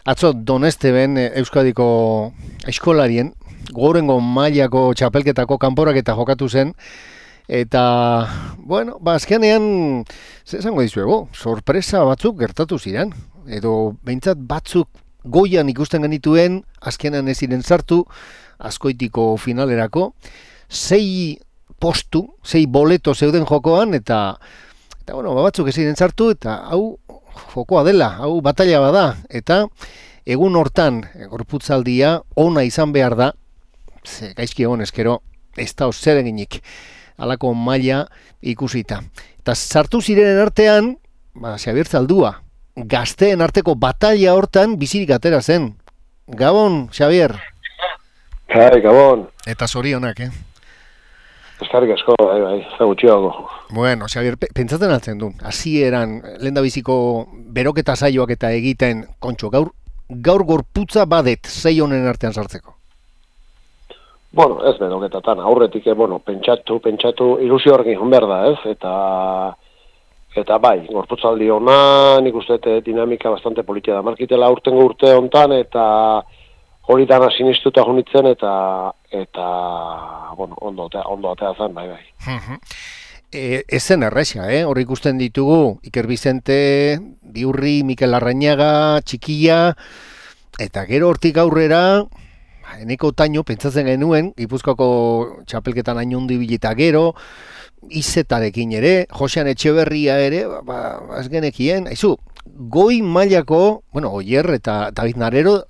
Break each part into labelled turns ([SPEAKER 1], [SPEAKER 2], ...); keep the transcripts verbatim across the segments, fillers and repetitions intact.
[SPEAKER 1] Atzo Donesteben Euskadiko eskolarien gorengo mailako txapelketako kanporaketa jokatu zen eta bueno, ba azkenean ze esango dizuegu, sorpresa batzuk gertatu ziren edo behintzat batzuk goian ikusten genituen azkenean ez ziren sartu Azkoitiko finalerako sei postu, sei boleto zeuden jokoan eta eta bueno, ba, batzuk ez ziren sartu eta hau jokoa dela, hau batalla bada, eta egun hortan gorputzaldia ona izan behar da, ze gaizki egon eskero, ez da zer eginik, halako maila ikusita. Eta sartu zirenen artean, ba, Xabier Zaldua, gazteen arteko batalla hortan bizirik atera zen. Gabon, Xabier.
[SPEAKER 2] Hai, Gabon.
[SPEAKER 1] Eta zorionak, eh?
[SPEAKER 2] Eskarrik asko, bai, bai, ez da gutxiago.
[SPEAKER 1] Bueno, Xabier, pentsatzen altzen du, hasieran lehendabiziko beroketa saioak eta egiten, kontxo, gaur, gaur gorputza badet sei honen artean sartzeko.
[SPEAKER 2] Bueno, ez beroketatan, aurretik, bueno, pentsatu, pentsatu, ilusio horrekin hon behar da, ez? Eta, eta bai, gorputzaldi hona, nik uste dinamika bastante politia da markitela urtengo urte hontan, eta hori dana sinistuta junitzen eta eta bueno, ondo ondo atea zen, bai bai.
[SPEAKER 1] Uh-huh. E, ez zen erresa, eh? Hor ikusten ditugu Iker Bizente, Biurri, Mikel Larrañaga, Txikia eta gero hortik aurrera Eneko Taino pentsatzen genuen Gipuzkoako txapelketan ainundi bileta gero Izetarekin ere, Josean Etxeberria ere, ba, ez genekien, aizu, goi mailako, bueno, Oier eta David Narero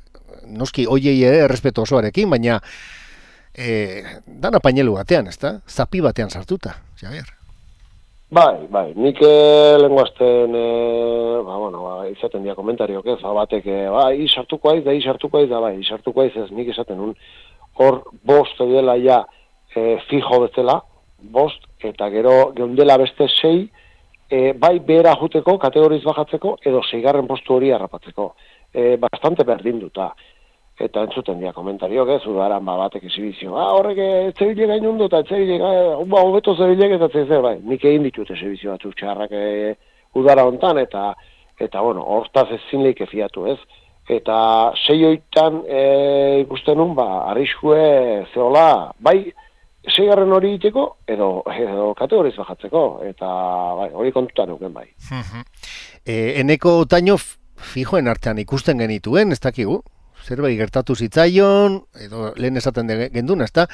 [SPEAKER 1] noski hoiei ere errespetu osoarekin, baina e, dana painelu batean, ezta? Zapi batean sartuta, Xabier.
[SPEAKER 2] Bai, bai, nik lenguazten, e, ba, bueno, ba, izaten dia komentariok ez, ba, batek, e, ba, izartuko aiz, da izartuko aiz, da, bai, izartuko aiz ez, nik esaten un, hor bost dela ja e, fijo bezala, bost, eta gero geundela beste sei, e, bai behera juteko, kategoriz bajatzeko, edo seigarren postu hori harrapatzeko. E, bastante berdinduta. Eta entzuten dia komentariok, ez, udaran ba, batek exibizio. Ah, horrek etzebile gainundu eta etzebile gainundu, ba, hobeto zebilek eta zebilek, bai, nik egin ditut exibizio batzuk txarrak e, udara hontan, eta, eta bueno, hortaz ezin leike fiatu, ez. Eta sei oitan e, ikusten nun, ba, arriskue zehola, bai, seigarren hori iteko, edo, edo kategoriz bajatzeko, eta bai, hori kontutan euken, bai.
[SPEAKER 1] e, Eneko Taino fijoen artean ikusten genituen, ez dakigu? Zerbait gertatu zitzaion, edo lehen esaten genduna, ez da?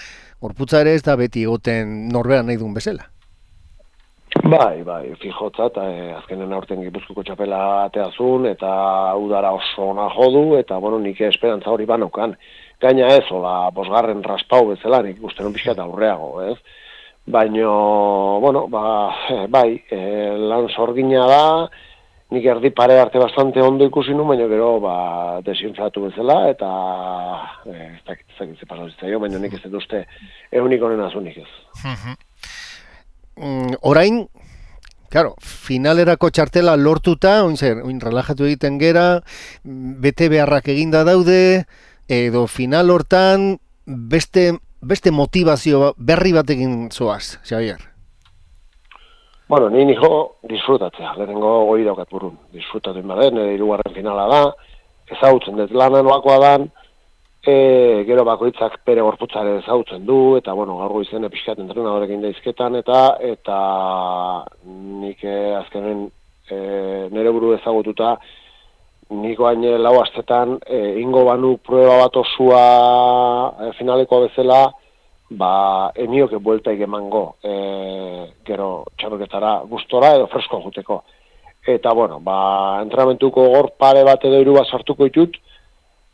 [SPEAKER 1] Gorputza ere ez da beti egoten norberan nahi duen bezala.
[SPEAKER 2] Bai, bai, fijotza, eta eh, azkenen aurten Gipuzkoako txapela ateazun, eta udara oso ona jodu, eta bueno, nik esperantza hori banaukan. Gaina ez, hola, bosgarren raspau bezala, nik ikusten un pixka eta aurreago, ez? Baina, bueno, ba, bai, eh, lan sorgina da, nik erdi pare arte bastante ondo ikusi nu, baina gero ba, desinflatu bezala, eta eh, ez dakit ze pasau zitzaio, baina nik ez dut uste egunik honen azunik ez.
[SPEAKER 1] Uh-huh. mm, orain, claro, finalerako txartela lortuta, oin zer, oin relajatu egiten gera, bete beharrak eginda daude, edo final hortan beste, beste motivazio berri batekin zoaz, Xabier?
[SPEAKER 2] Bueno, ni nijo disfrutatzea, lehenengo goi daukat burun, disfrutatu inbaden, nire hirugarren finala da, ezagutzen dut lana nolakoa dan, e, gero bakoitzak bere gorputzare ezagutzen du, eta bueno, gaur goizen epizkat entrenadorekin daizketan, eta eta nik eh, azkenen e, nire buru ezagututa, niko hain lau astetan, e, ingo banu prueba bat osua e, finalekoa bezala, ba, enioke bueltaik emango, e, gero txarroketara gustora edo fresko juteko. Eta, bueno, ba, entrenamentuko gor pare bat edo hiru bat sartuko ditut,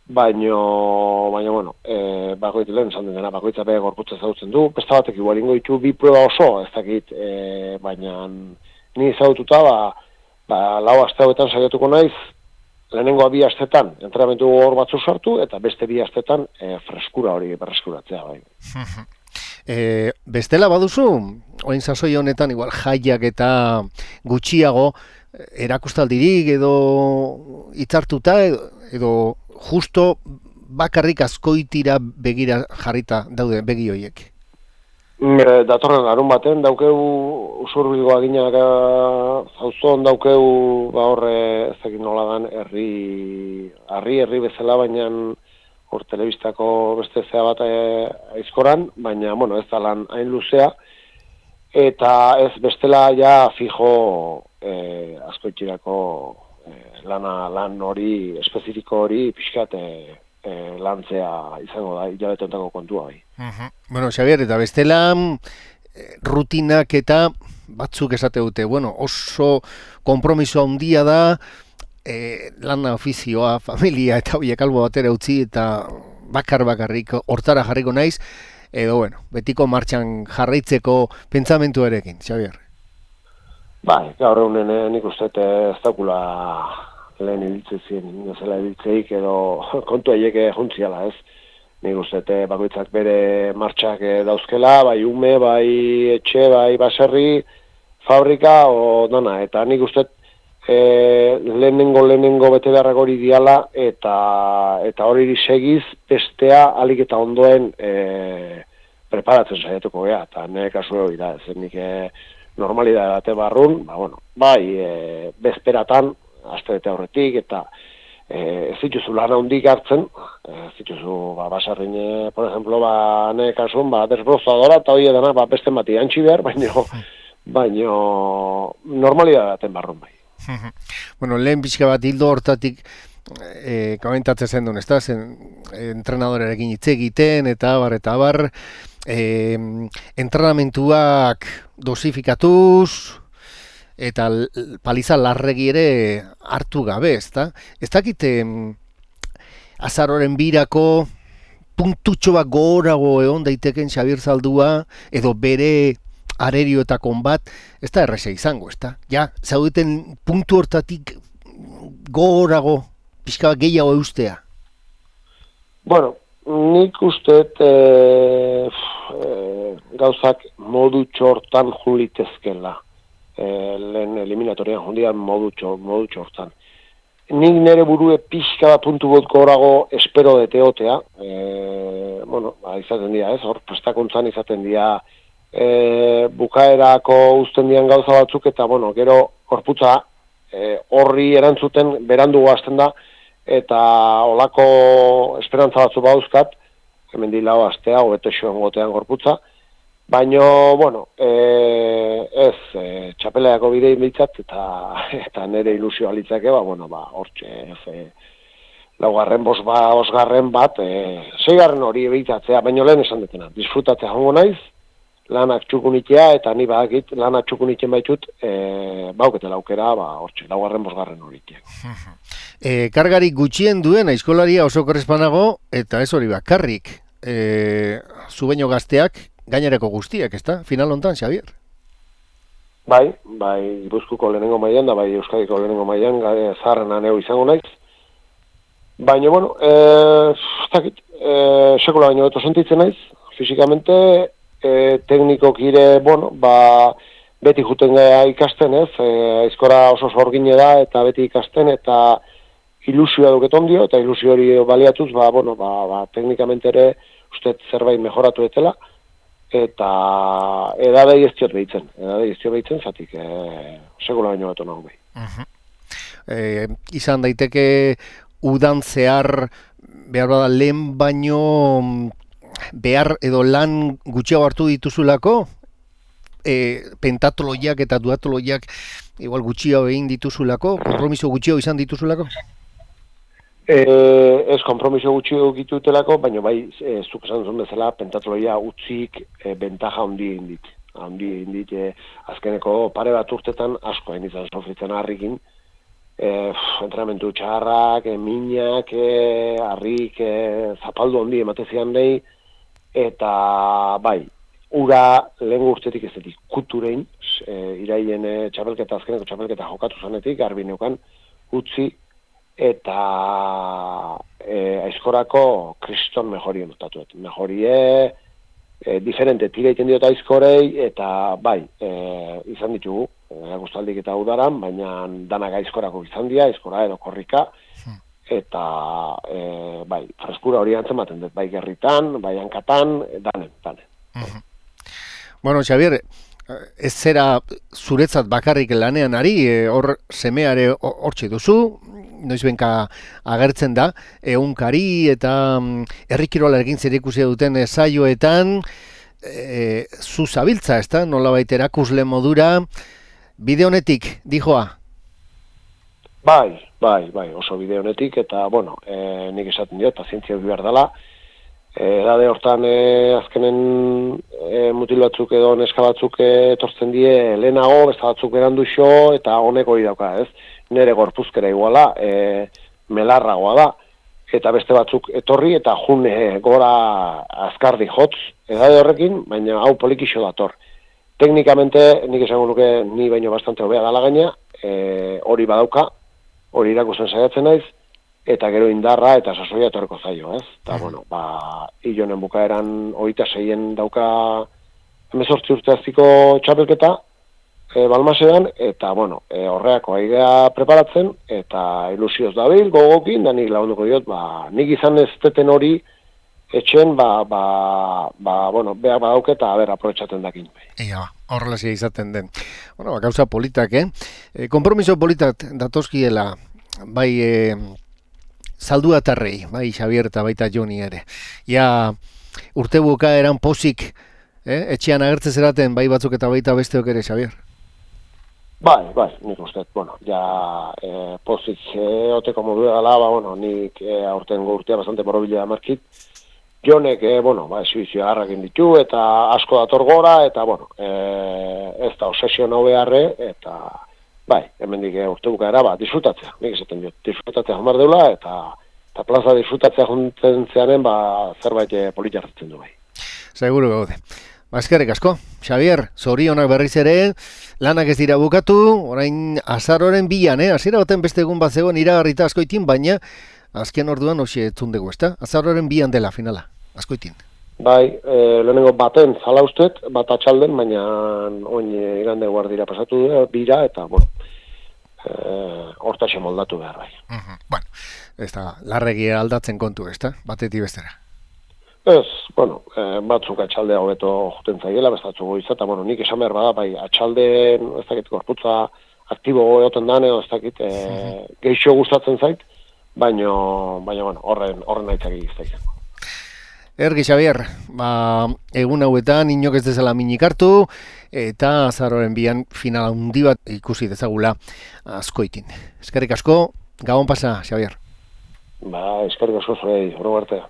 [SPEAKER 2] baino, baino, bueno, e, bakoit lehen esan dena, bakoitza bere gorputza ezagutzen du, beste batek igual ingo ditu bi prueba oso, ez dakit, e, baina ni ezagututa, ba, ba, lau aste hauetan saiatuko naiz, lehenengo bi astetan entrenamentu hor batzu sartu, eta beste bi astetan e, freskura hori berreskuratzea, bai.
[SPEAKER 1] E, bestela baduzu, orain sasoi honetan igual jaiak eta gutxiago erakustaldirik edo hitzartuta edo, edo justo bakarrik Azkoitira begira jarrita daude begi horiek.
[SPEAKER 2] E, datorren larun baten, daukeu usurbilgoa ginak zauzon, daukeu ba horre ezekin nola dan, herri, herri, herri bezala, baina hor telebistako beste zea bat aizkoran, baina, bueno, ez da lan hain luzea, eta ez bestela ja fijo e, askoitxirako e, lana, lan hori, espezifiko hori, pixkat e, e, lantzea izango da, hilabeteontako kontua bai.
[SPEAKER 1] Uh-huh. Bueno, Xabier, eta bestela rutinak eta batzuk esate dute, bueno, oso konpromiso handia da, E, lana ofizioa, familia eta horiek albo batera utzi eta bakar bakarrik hortara jarriko naiz, edo bueno, betiko martxan jarraitzeko pentsamentuarekin, Xabier.
[SPEAKER 2] Bai, gaur egunen eh, nik uste ez daukula lehen ibiltzezien, nezela ibiltzeik edo kontu aieke juntziala, ez? Nik uste bakoitzak bere martxak dauzkela, bai ume, bai etxe, bai baserri, fabrika, o dana, eta nik uste E, lehenengo lehenengo bete beharrak hori diala eta eta hori segiz bestea alik eta ondoen e, preparatzen saiatuko gea, eta nire kasu hori da, ez nik e, normalidade bate barrun, ba, bueno, bai e, bezperatan, aste bete aurretik, eta e, ez dituzu lan handik hartzen, ez dituzu ba, basarrin, e, por ejemplo, ba, nire kasun, ba, desbrozadora, eta hori edana, ba, beste mati antxi behar, baino, baino normalidade baten barrun bai.
[SPEAKER 1] Bueno, lehen pixka bat hildo hortatik e, komentatzen zen duen, ez da? Zen, entrenadorerekin hitz egiten, eta bar, eta bar, e, entrenamentuak dosifikatuz, eta paliza larregi ere hartu gabe, ez da? Ez dakite azaroren birako puntutxo bat gorago egon daiteken Xabier Zaldua, edo bere arerio eta konbat, ez da erresa izango, ez da? Ja, zaudeten puntu hortatik gogorago, pixka gehiago eustea?
[SPEAKER 2] Bueno, nik usteet e, e, gauzak modu txortan julitezkela. E, lehen eliminatorian jundian modu, txor, modu txortan. Nik nire burue pixka bat puntu got gorago espero deteotea. E, bueno, ba, izaten dira, ez? Hor, prestakuntzan izaten dira E, bukaerako uzten dian gauza batzuk, eta bueno, gero gorputza e, horri erantzuten berandu hasten da, eta olako esperantza batzu bauzkat, hemen di lau astea, hobeto xoen gotean gorputza, baino, bueno, e, ez, e, txapeleako bidei bitzat, eta, eta nire ilusio alitzake, ba, bueno, ba, hortxe, e, laugarren, bos, ba, bosgarren bat, e, seigarren hori ebitatzea, baino lehen esan detena, disfrutatzea jongo naiz, lanak txukunitea, eta ni badakit lanak txukunitzen baitut, e, bauketela aukera, ba, hortxe, laugarren, bosgarren horitiak.
[SPEAKER 1] E, kargarik gutxien duen aizkolaria oso korrespanago, eta ez hori bakarrik, e, zubeño gazteak, gainerako guztiak, ez da? Final hontan, Xabier?
[SPEAKER 2] Bai, bai, Gipuzkoako lehenengo mailan, da bai Euskadiko lehenengo mailan, zaharrena neu izango naiz. Baina, bueno, e, ez dakit, e, sekula baino beto sentitzen naiz, fisikamente, E, teknikok ire, bueno, ba, beti juten gara ikasten, ez, e, aizkora oso sorgine da, eta beti ikasten, eta ilusioa duketon dio, eta ilusio hori baliatuz, ba, bueno, ba, ba, teknikamente ere, uste zerbait mejoratu etela, eta edadei ez diot behitzen, edadei ez diot behitzen, zatik, e, sekula baino beto nago behi.
[SPEAKER 1] Uh-huh. E, izan daiteke udan zehar, behar bada lehen baino behar edo lan gutxiago hartu dituzulako, e, pentatoloiak eta duatoloiak igual gutxiago egin dituzulako, konpromiso gutxiago izan dituzulako?
[SPEAKER 2] E, ez konpromiso gutxiago egitutelako, baina bai, e, zuk esan zuen bezala, pentatoloia utzik e, bentaja handi indit. Handi indit, e, azkeneko pare bat urtetan asko hain izan sofritzen harrikin, e, entrenamentu txarrak, e, minak, e, harrik, e, zapaldu handi ematezian nahi, eta bai, ura lehen urtetik ez detik kuturein, e, iraien e, txapelketa, azkeneko txapelketa jokatu zanetik, garbi neukan utzi, eta e, aizkorako kriston mejori notatuet. Mejorie, e, diferente tira iten diot aizkorei, eta bai, e, izan ditugu, e, guztaldik eta udaran, baina danak aizkorako izan dira, aizkora edo korrika, eta e, bai, freskura hori antzematen dut, bai gerritan, bai hankatan, danen, danen.
[SPEAKER 1] Uh-huh. Bueno, Xabier, ez zera zuretzat bakarrik lanean ari, e, hor semeare hortxe duzu, noiz benka agertzen da, egunkari eta mm, herrikirola egin zerikusia duten e, saioetan, e, zu zabiltza, ez da, nolabait erakusle modura, bide honetik, dijoa?
[SPEAKER 2] Bai, bai, bai, oso bide honetik, eta, bueno, e, nik esaten diot, pazientzia behar dela, edade hortan e, azkenen e, mutil batzuk edo neska batzuk etortzen die lehenago, beste batzuk berandu xo, eta honek hori dauka, ez? Nere gorpuzkera iguala, e, melarragoa da, eta beste batzuk etorri, eta jun e, gora azkardi jotz, edade horrekin, baina hau polikixo dator. Teknikamente, nik esango nuke ni baino bastante hobea dala gaina, e, hori badauka, hori irakusten saiatzen naiz, eta gero indarra eta sasoia etorreko zaio, ez? Eta, bueno, ba, hilonen bukaeran hogeita seien dauka hemezortzi urte aztiko txapelketa, e, Balmasean, eta, bueno, e, horreako aigea preparatzen, eta ilusioz dabil, gogokin, da nik lagunduko diot, ba, nik izan ez teten hori etxen, ba, ba, ba, bueno, behar badauke eta ber aprobetxaten dakin.
[SPEAKER 1] Ia, horrelazia izaten den. Bueno, ba, gauza politak, eh? E, kompromiso politak datozkiela, bai, e, zaldu atarrei, bai Xabier eta baita Joni ere. Ja, urte bukaeran pozik, eh? Etxean agertzen zeraten, bai batzuk eta baita besteok ere, Xabier.
[SPEAKER 2] Bai, bai, nik uste, bueno, ja eh, pozik eh, oteko modura dela, ba, bueno, nik eh, aurten urtea bastante borobila markit. Jonek, eh, bueno, ba, esibizio harrakin ditu, eta asko dator gora, eta, bueno, eh, ez da obsesio nau beharre, eta bai, hemendik urte bukaera, ba, disfrutatzea, nik esaten diot, disfrutatzea jamar deula, eta, eta plaza disfrutatzea juntzen zearen, ba, zerbait politia hartzen du bai.
[SPEAKER 1] Seguro gaude. Ba, eskerrik asko, Xabier, zorionak berriz ere, lanak ez dira bukatu, orain azaroren bian, eh? Hasiera baten beste egun bat zegoen iragarrita askoitin, baina azken orduan hoxe etzundegu, ezta? Azaroren bian dela finala, askoitin.
[SPEAKER 2] Bai, e, lehenengo baten zala ustez, bat atxalden, baina oin igande guardira pasatu bira, eta, bueno, e, hortaxe moldatu behar bai.
[SPEAKER 1] Uh-huh. Bueno, ez da, larregia aldatzen kontu, ez da, batetik bestera.
[SPEAKER 2] Ez, bueno, e, batzuk atxaldea hobeto juten zaiela, bestatzuk goiza, eta, bueno, nik esan behar bada, bai, atxaldeen, ez dakit, gorputza aktibo egoten dan, edo ez dakit, e, uh-huh. geixo gustatzen zait, baina, baina, bueno, horren, horren aitzak egizta.
[SPEAKER 1] Ergi, Xabier, ba, egun hauetan inok ez dezala minik hartu, eta azaroren bian final handi bat ikusi dezagula askoitin. Eskerrik asko, gabon pasa, Xabier.
[SPEAKER 2] Ba, eskerrik asko zurei, horro artea.